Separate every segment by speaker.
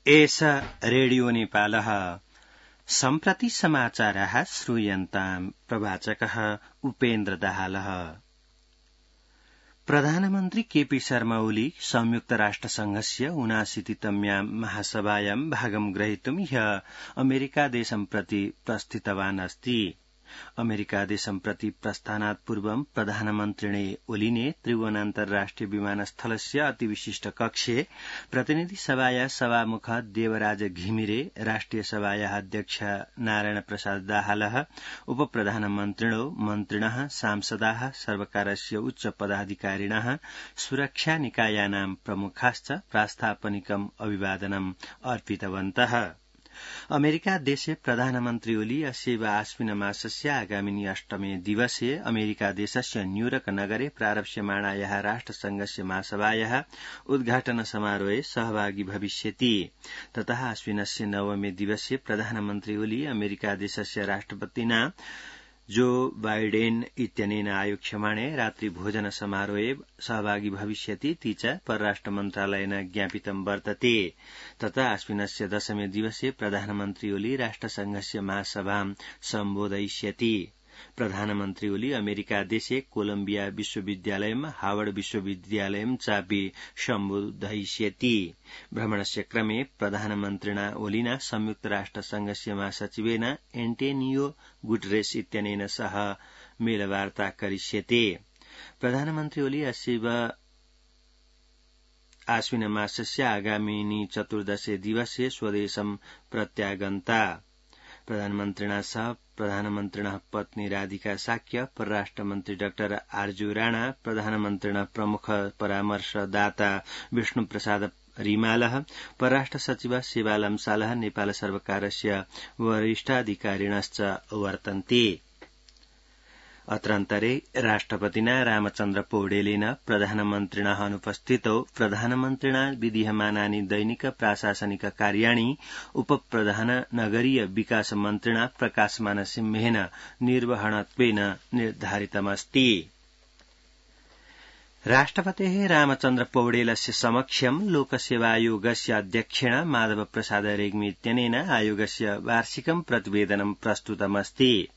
Speaker 1: एष रेडियो नेपालः सम्प्रति समाचाराः श्रूयन्ताम् प्रवाचकः उपेन्द्र दाहालः। प्रधानमन्त्री केपी शर्मा ओली संयुक्त राष्ट्रसंघस्य 79तम्यां महासभायां भागं ग्रहीतुं ह्यः अमेरिकादेशं प्रति प्रस्थितवान् अस्ति। अमेरिकादेशं प्रति प्रस्थानात् पूर्वं प्रधानमन्त्रिणे ओलीने त्रिभुवन अन्तर्राष्ट्रिय विमानस्थलस्य अतिविशिष्ट कक्षे प्रतिनिधिसभाया सभामुख देवराज घिमिरे, राष्ट्रिय सभाया अध्यक्ष नारायण प्रसाद दाहालः, उपप्रधानमन्त्रिणो मन्त्रिणः, सांसदाः, सर्वकारस्य उच्च पदाधिकारिणः, सुरक्षा निकायानां प्रमुखाश्च प्रास्तापनिकम् अभिवादनम् अर्पितवन्तः। अमेरिका देशे प्रधानमन्त्री ओली अस्यैव आश्विनमासस्य आगामिनि 8मे दिवसे अमेरिका देशस्य न्यूयॉर्क नगरे प्रारप्स्यमाणायाः राष्ट्रसंघस्य महासभायाः उद्घाटन समारोहे सहभागी भविष्यति। ततः आश्विनस्य 9मे दिवसे प्रधानमन्त्री ओली अमेरिका देशस्य राष्ट्रपतिना जो बाइडेन इत्यनेन आयोक्ष्यमाणे रात्रिभोजन समारोहे सहभागी भविष्यति इति च परराष्ट्र मन्त्रालयेन ज्ञापितं वर्तते। तथा आश्विनस्य 10मे दिवसे प्रधानमन्त्री ओली राष्ट्रसंघस्य महासभां सम्बोधयिष्यति। प्रधानमन्त्री ओली अमेरिका देशे कोलम्बिया विश्वविद्यालयं, हावर्ड विश्वविद्यालयं चापि सम्बोधयिष्यति। भ्रमणस्य क्रमे प्रधानमन्त्रिणा ओलिना संयुक्त राष्ट्रसंघस्य महासचिवेन एन्टोनियो गुटेरेस इत्यनेन सह मेलवार्ता करिष्यते। प्रधानमन्त्री ओली अस्यैव आश्विनमासस्य आगामिनि 14 दिवसे स्वदेशं प्रत्यागन्ता। प्रधानमन्त्रिणा सह प्रधानमन्त्रिणः पत्नी राधिका साक्य, परराष्ट्रमन्त्री डाक्टर आर्जू राणा, प्रधानमन्त्रिणः प्रमुख परामर्शदाता विष्णुप्रसाद रिमालः, परराष्ट्र सचिव सेवालाम सालः, नेपाल सर्वकारस्य वरिष्ठाधिकारिणश्च वर्तन्ते। अत्रान्तरे राष्ट्रपतिना रामचन्द्र पौडेलेन प्रधानमन्त्रिणः अनुपस्थितौ प्रधानमन्त्रिणा विधीयमानानि दैनिक प्राशासनिक कार्याणि उपप्रधान नगरीय विकास मन्त्रिणा प्रकाशमान सिंहेन निर्वहणत्वेन निर्धारितमस्ति। राष्ट्रपतेः रामचन्द्र पौडेलस्य समक्षं लोकसेवायोगस्य अध्यक्षेण माधव प्रसाद रेग्मी इत्यनेन आयोगस्य वार्षिकं प्रतिवेदनं प्रस्तुतमस्ति।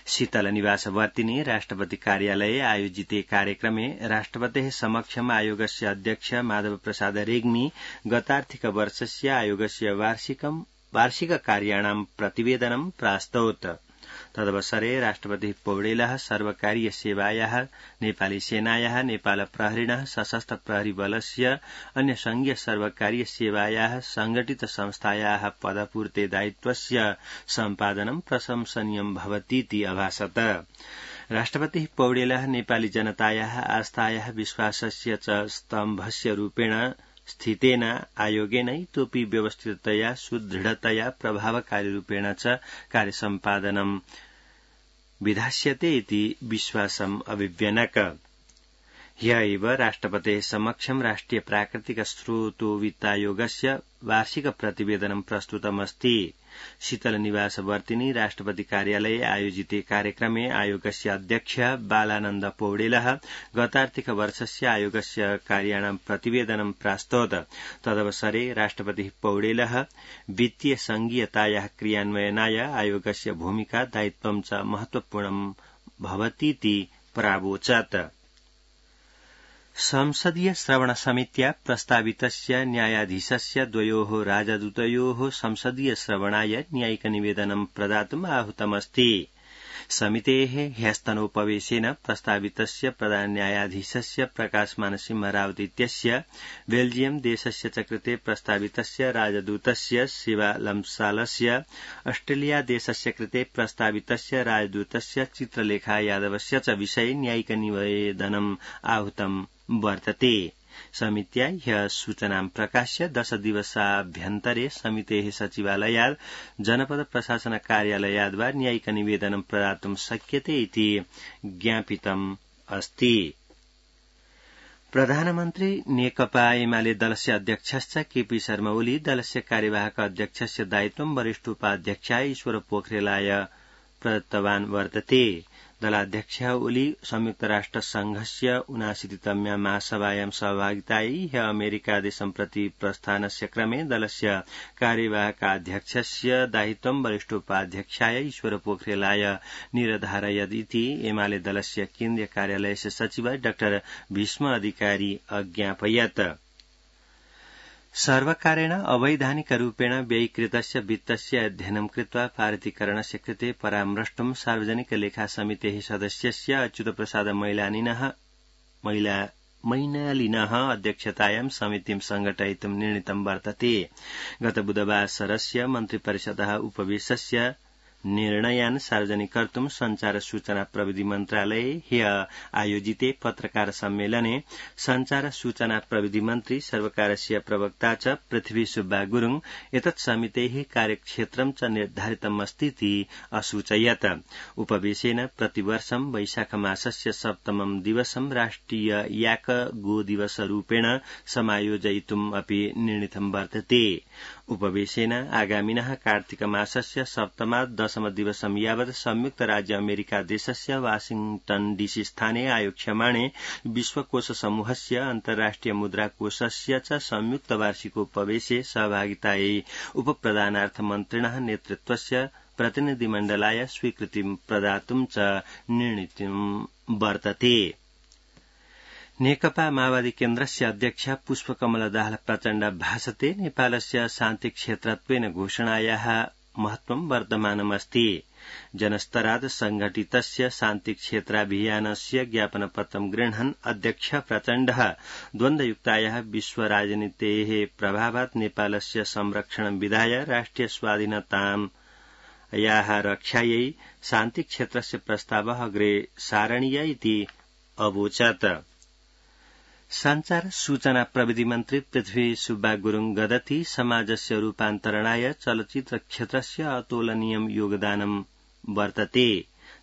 Speaker 1: शीतल निवासवर्तिनि राष्ट्रपति कार्यालये आयोजिते कार्यक्रमे राष्ट्रपतेः समक्षम् आयोगस्य अध्यक्ष माधव प्रसाद रेग्मी गतार्थिक वर्षस्य आयोगस्य वार्षिक कार्याणां प्रतिवेदनं प्रास्तौत्। तदवसरे राष्ट्रपतिः पौडेलः सर्वकारीय सेवायाः, नेपाली सेनायाः, नेपाल प्रहरिणः, सशस्त्र प्रहरी बलस्य, अन्य संघीय सर्वकारीय सेवायाः, संगठित संस्थायाः पदपूर्ते दायित्वस्य सम्पादनं प्रशंसनीयं भवतीति अभाषत। राष्ट्रपतिः पौडेलः नेपाली जनतायाः आस्थायाः विश्वासस्य च स्तम्भस्य रूपेण स्थितेन आयोगेन इतोपि व्यवस्थिततया, सुदृढतया, प्रभावकारी रूपेण च कार्यसम्पादनं विधास्यते इति विश्वासम् अभिव्यनक। ह्यः एव राष्ट्रपतेः समक्षं राष्ट्रिय प्राकृतिक स्रोतोवित्तायोगस्य वार्षिक प्रतिवेदनं प्रस्तुतमस्ति। शीतल निवासवर्तिनि राष्ट्रपति कार्यालये आयोजिते कार्यक्रमे आयोगस्य अध्यक्ष बालानन्द पौडेलः गतार्थिक वर्षस्य आयोगस्य कार्याणां प्रतिवेदनं प्रास्तौत्। तदवसरे राष्ट्रपतिः पौडेलः वित्तीय संघीयतायाः क्रियान्वयनाय आयोगस्य भूमिका दायित्वं च महत्वपूर्णं भवतीति प्रावोचत्। संसदीय श्रवण समित्या प्रस्तावितस्य न्यायाधीशस्य द्वयोः राजदूतयोः संसदीय श्रवणाय न्यायिक निवेदनं प्रदातुम् आहूतमस्ति। समितेः ह्यस्तनोपवेशेन प्रस्तावितस्य प्रधान न्यायाधीशस्य प्रकाशमान सिंह रावत इत्यस्य, बेल्जियम देशस्य च कृते प्रस्तावितस्य राजदूतस्य शिवा लम्सालस्य, ऑस्ट्रेलिया देशस्य कृते प्रस्तावितस्य राजदूतस्य चित्रलेखा यादवस्य च विषये न्यायिक निवेदनम् आहूतम् वर्तते। समित्या ह्यः सूचनां प्रकाश्य 10 दिवसाभ्यन्तरे समितेः सचिवालयात् जनपद प्रशासन कार्यालयाद् वा न्यायिक निवेदनं प्रदातुं शक्यते इति ज्ञापितम् अस्ति। प्रधानमन्त्री नेकपा एमाले दलस्य अध्यक्षश्च केपी शर्मा ओली दलस्य कार्यवाहक अध्यक्षस्य दायित्वं वरिष्ठ उपाध्यक्षाय ईश्वर पोखरेलाय प्रदत्तवान् वर्तते। दलाध्यक्षः ओली संयुक्तराष्ट्र संघस्य 79तम्यां महासभायां सहभागितायै ह्य अमेरिकादेशं प्रति प्रस्थानस्य क्रमे दलस्य कार्यवाहकाध्यक्षस्य दायित्वं वरिष्ठोपाध्यक्षाय ईश्वर पोखरेलाय निरधारयत् इति एमाले दलस्य केन्द्रीय कार्यालयस्य सचिव डा भीष्म अधिकारी अज्ञापयत्। सर्वकारेण अवैधानिकरूपेण व्ययीकृतस्य वित्तस्य अध्ययनं कृत्वा पारितीकरणस्य कृते परामृष्टुं सार्वजनिक लेखा समितेः सदस्यस्य अच्युतप्रसाद मैनालिनः अध्यक्षतायां समितिं संघटयितुं निर्णीतं वर्तते। गत बुधवासरस्य मन्त्रिपरिषदः उपवेशस्य निर्णयान् सार्वजनिक कर्तुं संचार सूचना प्रविधि मन्त्रालये ह्य आयोजिते पत्रकार सम्मेलने संचार सूचना प्रविधि मन्त्री सर्वकारस्य प्रवक्ता च पृथ्वी सुब्बा गुरुङ एतत् समितेः कार्यक्षेत्रं च निर्धारितमस्तीति असूचयत्। उपवेशेन प्रतिवर्षं वैशाख मासस्य सप्तमं दिवसं राष्ट्रिय याक गो दिवसरूपेण समायोजयितुम् अपि निर्णीतं वर्तते। उपवेशेन आगामिनः कार्तिक मासस्य सप्तमात् दशम दिवसं यावत् संयुक्त राज्य अमेरिका देशस्य वाशिंग्टन डीसी स्थाने आयोक्ष्यमाणे विश्वकोश समूहस्य अन्ताराष्ट्रिय मुद्राकोषस्य च संयुक्त वार्षिकोपवेशे सहभागितायै उपप्रधानार्थ मन्त्रिणः नेतृत्वस्य प्रतिनिधिमण्डलाय स्वीकृतिं प्रदातुं च निर्णीतं वर्तते। नेकपा माओवादी केन्द्रस्य अध्यक्ष पुष्पकमल दाहाल प्रचण्ड भाषते नेपालस्य शान्तिक्षेत्रत्वेन घोषणायाः महत्वं वर्धमानमस्ति। जनस्तरात् संघटितस्य शान्तिक्षेत्राभियानस्य ज्ञापनपत्रं गृह्णन् अध्यक्ष प्रचण्डः द्वन्द्वयुक्तायाः विश्वराजनीतेः प्रभावात् नेपालस्य संरक्षणं विधाय राष्ट्रिय स्वाधीनतायाः रक्षायै शान्तिक्षेत्रस्य प्रस्तावः अग्रे सारणीय इति अवोचत्। संचार सूचना प्रविधि मन्त्री पृथ्वी सुब्बा गुरुङ गदति समाजस्य रूपान्तरणाय चलचित्र क्षेत्रस्य अतुलनीयं योगदानं वर्तते।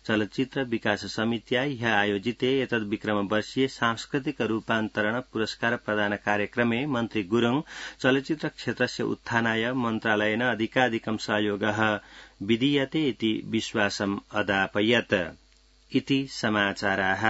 Speaker 1: चलचित्र विकास समित्या ह्य आयोजिते एतद् विक्रमवर्षीय सांस्कृतिक रूपान्तरण पुरस्कार प्रदान कार्यक्रमे मन्त्री गुरुङ चलचित्र क्षेत्रस्य उत्थानाय मन्त्रालयेन अधिकाधिकं सहयोगः विधीयते इति विश्वासम् अदापयत्। इति समाचाराः।